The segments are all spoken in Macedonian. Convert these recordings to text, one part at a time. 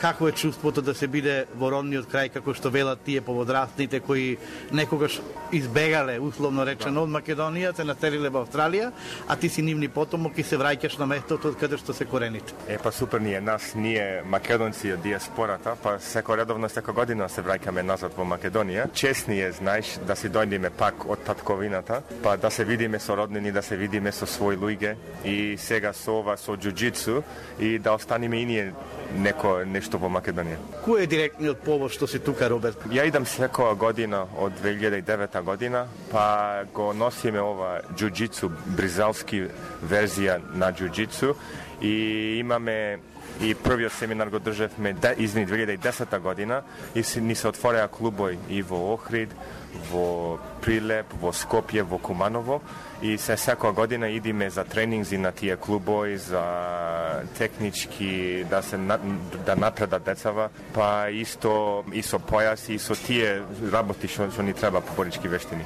Какво е чувството да се биде во родниот крај, како што велат тие поводрасните кои некогаш избегале, условно речено, од Македонија, се населиле во Австралија, а ти си нивни потомок и се враќаш на местото од каде што се корените? Па супер ние македонци од диаспората, па секоја година се враќаме назад во Македонија. Честни е, знаеш, да си дојдеме пак од татковината, па да се видиме со роднини, да се видиме со своји луѓе и сега со ова, со џуџицу и да останеме и ние нешто во Македонија. Кој е директниот повод што си тука, Роберт? Ја идам секоја година од 2009 година, па го носиме ова џуџицу, бризалски верзија на џуџицу и имаме и првиот семинар го држевме 2010 година и ни се отвореа клубови и во Охрид, во Прилеп, во Скопје, во Куманово и секоја година идиме за тренинзи на тие клубови, за технички да напредат децава, па исто и со појаси и со тие работи што ни треба по борички вештини.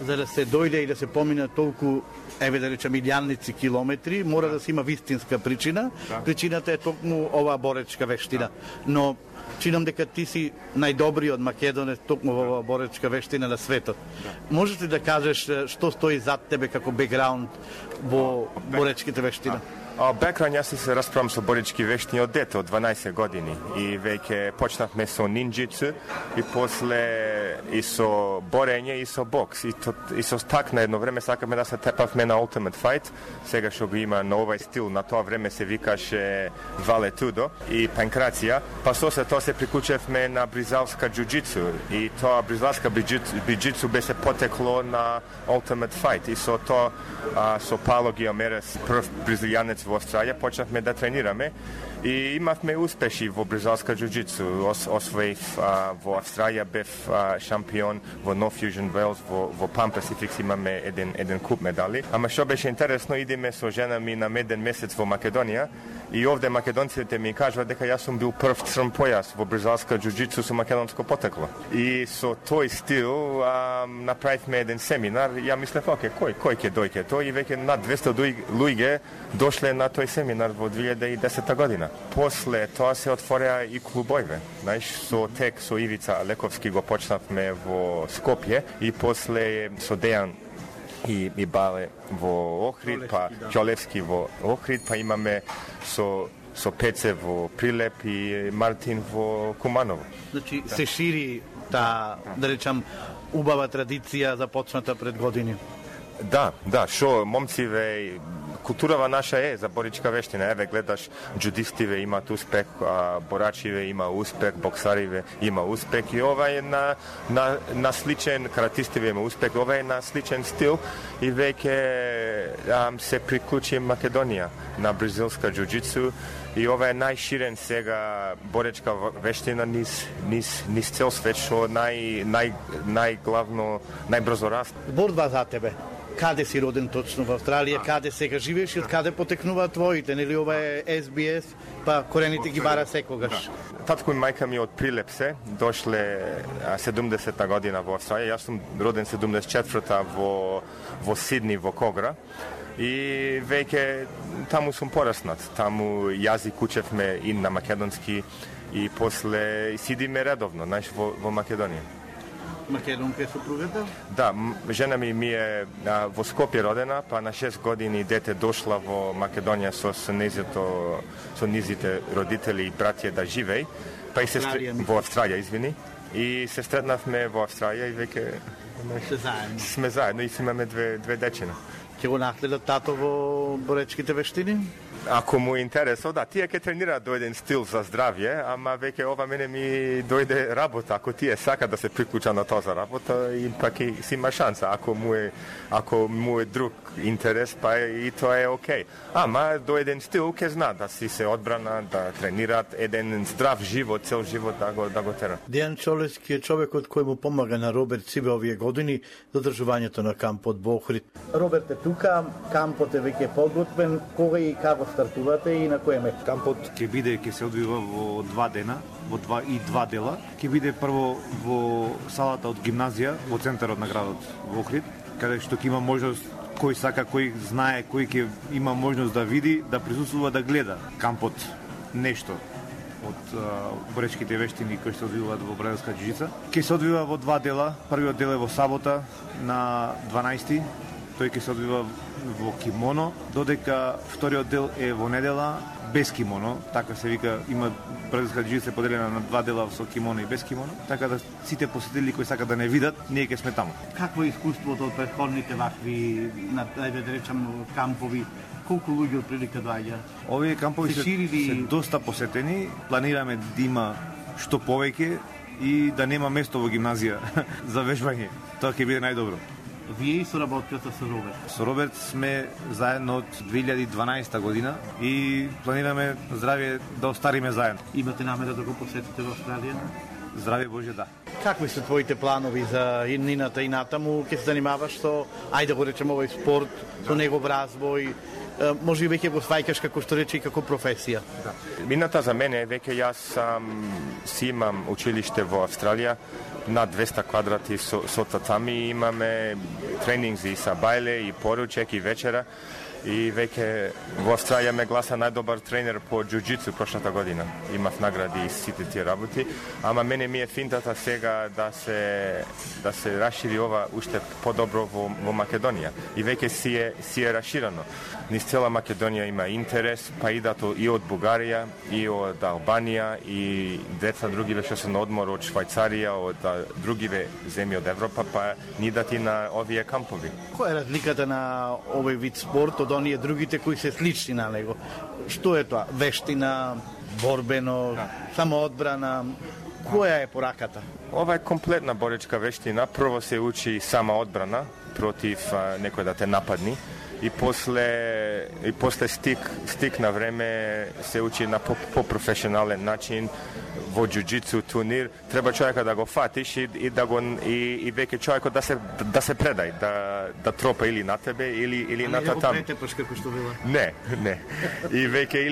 За да се дојде и да се помине толку, да речем, илјадници километри, мора да се има вистинска причина. Да. Причината е токму оваа боречка вештина. Но чинам дека ти си најдобриот македонец токму во оваа боречка вештина на светот. Да. Можеш ли да кажеш што стои зад тебе како бекграунд во боречките вештина? Бекграунд, јас се расправам со борички вештини од дете, од 12 години. И веќе почнавме со нинџицу и после и со борење и со бокс. И со так на едно време сакаме да се тепавме на Ultimate Fight. Сега што го има на овај стил, на тоа време се викаше Вале Тудо и панкрација. Па со се тоа се приклучевме на бризалска џуџицу. И тоа бризалска џуџицу беше потекло на Ultimate Fight. И со тоа, со Пало Гиомерес, прв бризилјанец во Австралија, почнавме да тренираме и имавме успеши во бризалска џуџицу. Освоив во Австралија, бев шампион во No Fusion Wales, во Pan Pacific имаме еден куп медали. Ама што беше интересно, идеме со жена ми на меден месец во Македонија и овде македонците ми кажуваат дека јас сум бил прв црн појас во бризалска џуџицу со македонско потекло. И со тој стил направивме еден семинар. Ја мислев, кој ќе дојде тој и веќе над 200 луѓе дошле на тој семинар во 2010 година. После тоа се отвореа и клубојве. Знаеш, со Ивица Лековски го почнавме во Скопје и после со Дејан и Бале во Охрид, па Ќолевски во Охрид, па имаме со Пеце во Прилеп и Мартин во Куманово. Значи се шири да речам убава традиција започната пред години. Да, шо момциве, културава наша е за боричка вештина. Еве гледаш, џудистиве имаат успех, борачиве има успех, боксариве има успех и ова е на сличен, каратистиве има успех, ова е на сличен стил и веќе се приклучи Македонија на бразилска џуџицу и ова е најширен сега боречка вештина низ цел свет, што најглавно, најбрзо раст. Борба за тебе. Каде си роден точно во Австралија, каде сега живееш и од каде потекнуваат твоите, нели ова е SBS, па корените ги бара секогаш. Татко и мајка ми од Прилеп се, дошле 70-та година во Австралија, јас сум роден 74-та во Сидни, во Когра, и веќе таму сум пораснат, таму јазик учевме и на македонски и после сидиме редовно, знаеш, во Македонија. Македонка е супругата? Да, жена ми е во Скопје родена, па на 6 години дете дошла во Македонија со низите родители и братја да живеј, па и во Австралија, извини, и се сретнавме во Австралија и веќе сме заедно и имаме две дечина. Ќе го наследат тато во боречките вештини? Ако му е интересно, да, тие ќе тренираат до еден стил за здравје, ама веќе ова мене ми дојде работа. Ако тие сака да се приклуча на тоа за работа, и пак и си има шанса. Ако му е друг интерес, па и тоа е окей. Ама до еден стил ќе знаат да си се одбрана, да тренираат еден здрав живот, цел живот да го терат. Дејан Ќолевски е човекот кој му помага на Роберт Цибе овие години за одржувањето на кампот во Охрид. Роберт е тука, кампот е веќе подготвен, кога и како стартувате и на кој место? Кампот ќе се одвива во 2 дена, во 2 дела. Ќе биде прво во салата од гимназија во центарот на градот во Охрид, каде што ќе има можност кој сака, кој знае, кој ќе има можност да види, да присуствува, да гледа кампот нешто. од боречките вештини кои се одвиваат во бразилска џиу-џица. Ќе се одвива во два дела. Првиот дел е во сабота на 12. Тој ќе се одвива во кимоно, додека вториот дел е во недела без кимоно, така се вика, има бразилска џиу-џица поделена на два дела со кимоно и без кимоно, така да сите посетители кои сакаат да не видат, ние ќе сме таму. Какво е искуството од претходните вакви, ајде да речам, кампови? Колку луѓе од прилика доаѓа? Овие кампови се доста посетени, планираме да има што повеќе и да нема место во гимназија за вежбање. Тоа ќе биде најдобро. Вие и соработката со Роберт? Со Роберт сме заедно од 2012 година и планираме здравје да остариме заедно. Имате намера да го посетите во Австралија? Здравје Боже, да. Какви се твоите планови за иднината и натаму? Ке се занимаваш со, ајде да го речем, овој спорт, со негов развој? Може и веќе го сваќаш како што рече и како професија? Да. Мината за мене веќе јас си имам училиште во Австралија, над 200 квадрати со татами, имаме тренинзи са бајле и поручек и вечера. И веќе во Австралија ме гласа најдобар тренер по џиу-џицу прошлата година. Имав награди и сите тие работи, ама мене ми е финтата сега да се расшири ова уште подобро во Македонија. И веќе си е расширено. Низ цела Македонија има интерес, па идат и од Бугарија, и од Албанија, и деца другиве што се на одмор од Швајцарија, од другиве земји од Европа, па идат и на овие кампови. Која е разликата на овој вид спорт од оние другите кои се слични на него? Што е тоа? Вештина, борбено, самоодбрана? Која е пораката? Ова е комплетна боречка вештина. Прво се учи самоодбрана против некој да те нападни. И после стик на време се учи на по-професионален начин во џиу-џицу турнир. Треба човекот да го фатиш и веќе човекот да се предај, да тропа или на тебе или на татам. Не го како што била. Не. И веќе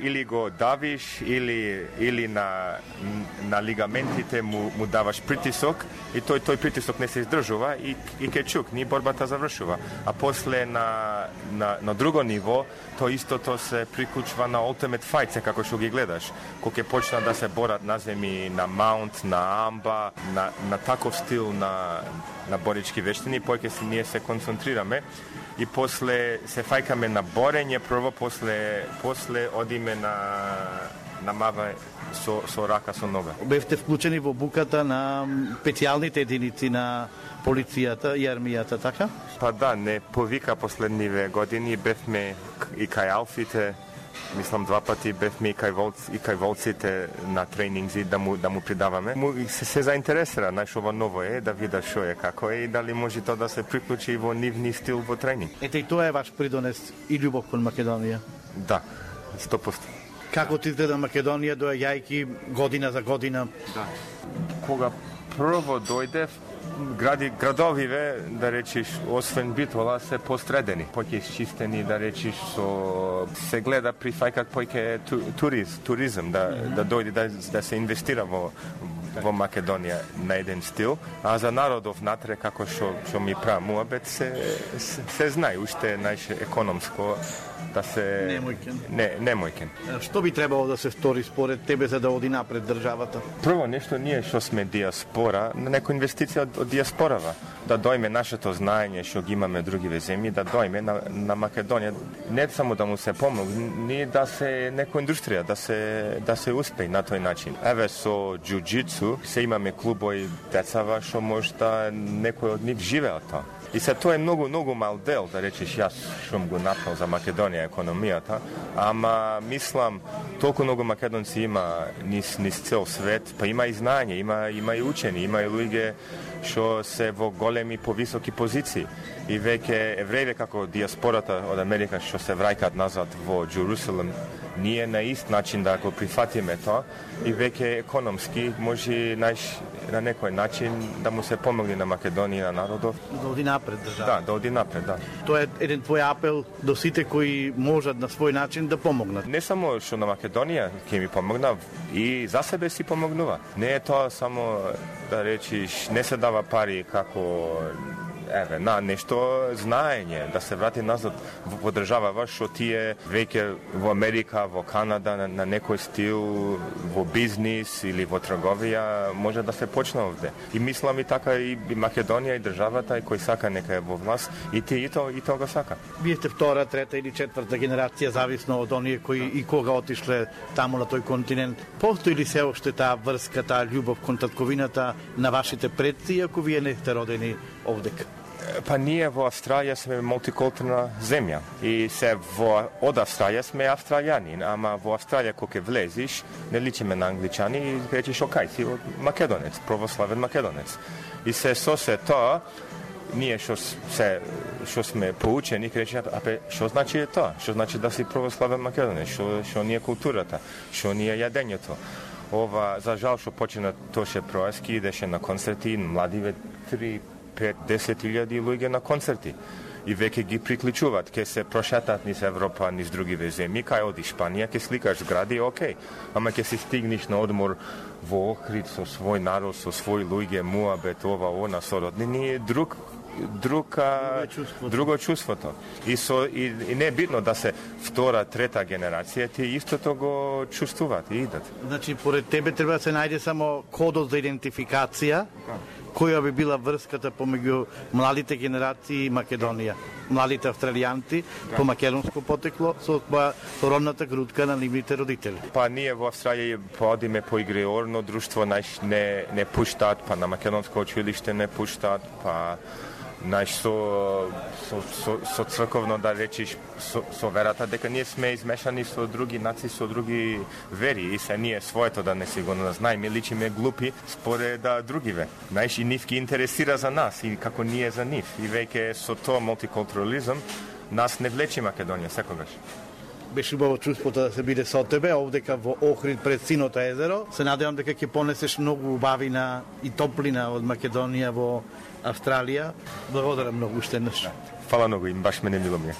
или го давиш или на лигаментите му даваш притисок и тој притисок не се издржува и кечук, ни борбата завршува. А после на друго ниво, то истото се приклучува на Ultimate Fight, како што ги гледаш. Кога ќе почнат да се борат на земи, на маунт, на амба, на таков стил на борички вештини, поќе ние се концентрираме и после се фајкаме на борење, прво после одиме на мава со рака, со нога. Бевте вклучени во буката на специјалните единици на полицијата и армијата, така? Па да, не повика последниве години, бевме и кај алфите, мислам 2 пати бевме и кај волците на тренинзи да му придаваме. Се заинтересира, знаеш, ова ново е, да вида шо е, како е и дали може тоа да се приклучи во нивни стил во тренинг. Ете и тоа е ваш придонес и љубов кон Македонија? Да, 100%. Како ти изгледа Македонија доаѓајќи година за година? Да. Кога прво дојдев, градовиве, да речиш, освен Битола, се постредени, поќе исчистени, да речиш, се гледа прифајкат поќе туризм, да дојде, да се инвестира во Македонија на еден стил, а за народов натре, како што ми прави муабет, се знае, уште најше економско, да се... Немојкен. Што би требало да се стори според тебе за да оди напред државата? Прво нешто ние што сме диаспора, некоја инвестиција од диаспорава, да дојме нашето знаење што ги имаме другиве земји, да дојме на Македонија, не само да му се помогне, да се некоја индустрија, да се успее на тој начин. Еве со џиу-џицу се имаме клубови децава што можда некој од нив живеат тоа. И се тоа е многу мал дел, да речеш, јас што го направил за Македонија економијата, ама мислам, толку многу македонци има низ цел свет, па има и знаење, има и учени, има и луѓе што се во големи повисоки позиции. И веќе еврејве како диаспората од Америка што се враќаат назад во Джерусалем, ние на ист начин да го прифатиме тоа и веќе економски може на некој начин да му се помогне на Македонија, на народов. Да оди напред држава. Да, да оди напред, да. Тоа е еден твој апел до сите кои можат на свој начин да помогнат. Не само што на Македонија ќе ми помогна, и за себе си помогнува. Не е тоа само, да речиш, не се дава пари како на нешто знаење, да се врати назад во држава што тие веќе во Америка, во Канада, на некој стил, во бизнис или во трговија, може да се почне овде. И мислам и така и Македонија и државата, и кој сака нека е во власт, и то го сака. Вие сте втора, трета или четврта генерација, зависно од оние кои и кога отишле таму на тој континент. Постои ли се уште таа врска, таа љубов кон татковината на вашите предци, ако вие не сте родени овдека? Па ние во Австралија сме мултикултурна земја и од Австралија сме австралијани, ама во Австралија кога влезиш, не личиме на англичани и речеш окај си македонец, православен македонец. И се тоа, ние што сме поучени, речеме, што значи тоа? Што значи да си православен македонец? Што ни е културата? Што ни е јадењето? Ова, за жал што почина Тоше Проески, идеше на концерти, младиве 3-5-10 луѓе на концерти. И веќе ги приклучуваат, ке се прошетат низ Европа, низ другиве земји, кај оди Шпанија, ке сликаш згради, окей. Ама ке си стигнеш на одмор во Охрид со свој народ, со свој луѓе, муабет, она, сороднини, друго чувството. И не е битно да се втора, трета генерација, тие истото го чувствуваат и идат. Значи, поред тебе треба да се најде само кодот за идентификација, која би била врската помеѓу младите генерации и Македонија, младите австралијанци по македонско потекло со родната грудка на нивните родители. Па ние во Австралија одиме по игреорно друштво, не пуштаат, па на македонско училиште не пуштаат, па со црковно да речиш со верата, дека ние сме измешани со други нации, со други вери и се ние своето да не си го знаеме, личиме глупи според другиве. Знаеш, и нив ги интересира за нас и како ние за нив. И веќе со тоа мултикултурализам нас не влечи Македонија секогаш. Беше убаво чувството да се биде со тебе, овдека во Охрид пред Синото езеро. Се надевам дека ќе понесеш многу убавина и топлина од Македонија во Австралија. Благодарам многу уште еднаш. Фала многу, им баш мене мило ми е.